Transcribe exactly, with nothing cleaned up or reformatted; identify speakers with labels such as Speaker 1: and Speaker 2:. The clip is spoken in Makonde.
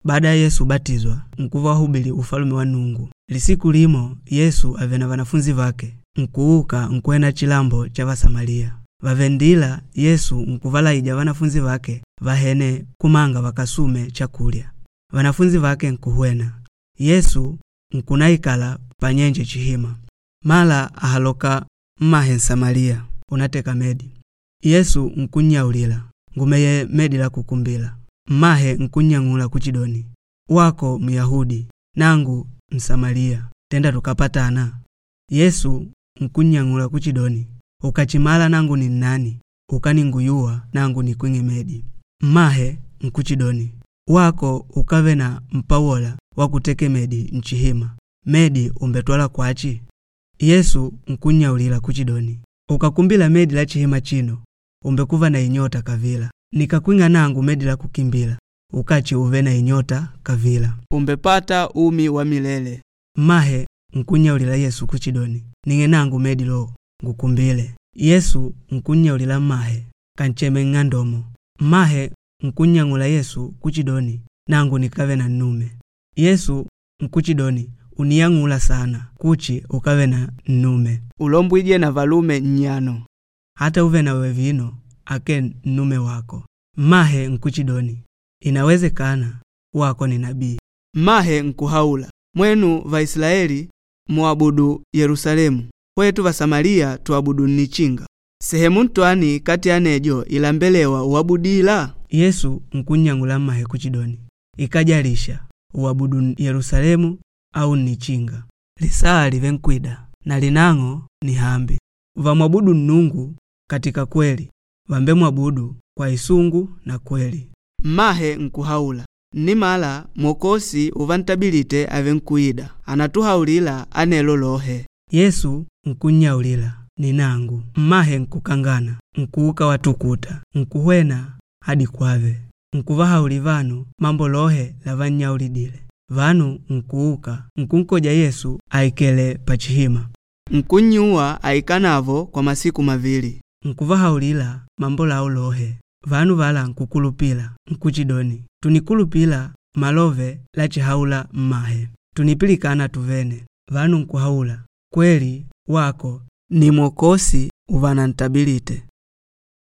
Speaker 1: Baada ya Yesu ubatizwa nkuva wahubili ufalume wa Nungu. Lisiku limo Yesu avele na vanafunzi vake nkuuka nkwena chilambo cha Vasamaliya. Vavendila Yesu nkuvalaija vanafunzi vake vahene kumanga vakasume chakulya. Vanafunzi vake nkuhwena. Yesu nkunaikala panyenje chihima. Mala ahaloka mmahe Nsamaliya unateka medi. Yesu nkunnyaulila, ngumeye medi la kukumbila. Mmahe nkunnyang'ula kuchidoni, wako Myahudi nangu Msamaliya tenda tukapatana. Yesu nkunnyang'ula kuchidoni, ukachimala nangu ni nnani, ukaninguyuwa nangu nikwing'e medi. Mmahe nkuchidoni, wako ukave na mpawola wakuteke medi nchihima, medi umbetwala kwachi? Yesu nkunnyaulila kuchidoni, ukakumbila medi la chihima chino umbekuva na inyota kavila. Nikakwing'a nangu medi la kukimbila ukachi uve na inyota kavila.
Speaker 2: Umbepata umi wa milele.
Speaker 1: Mmahe nkunyaulila Yesu kuchidoni, ning'e nangu medi lo ngukumbile. Yesu nkunyaulila mmahe kancheme ng'andomo. Mmahe nkunyang'ula Yesu kuchidoni, nangu nikave na nnume. Yesu nkuchidoni, uniyang'ula sana kuchi ukave na nnume.
Speaker 2: Ulombwije na valume nnyano.
Speaker 1: Hata uve nawe vino ake nnume wako. Mmahe nkuchidoni, inawezekana wako ni nabii.
Speaker 2: Mmahe nkuhaula, mwenu Vaisilaeli muabudu Yerusalemu, kwetu Vasamaliya tuabudu nnichinga. Sehemu ntwani kati ya nejo ilambelewa uabudila?
Speaker 1: Yesu nkunyang'ula mmahe kuchidoni, ikajalisha uabudu Yerusalemu au nnichinga. Lisaa live nkwida na linang'o ni hambi. Vamwabudu Nnungu katika kweli, vambe mwabudu kwa isungu na kweli.
Speaker 2: Mmahe nkuhaula, nnimala mwokosi uvantabilite ave nkuida anatuhaulila anelo lohe.
Speaker 1: Yesu nkunyaulila ni nangu. Mmahe nkukangana nkuuka watukuta nkuhwena hadi kwave nkuvahauli vanu mambo lohe lavannyaulidile. Vanu nkuuka nkunkoja Yesu aikele pachihima
Speaker 2: Nkunnyuwa aikanavo kwa masiku mavili.
Speaker 1: Nkuvahaulila mambo lao lohe. Vanu vala nkukulupila nkuchidoni, tunikulupila malove lachihaula mmahe tunipilikana tuvene. Vanu nkuhaula kweli wako ni mwokosi uvanantabilite.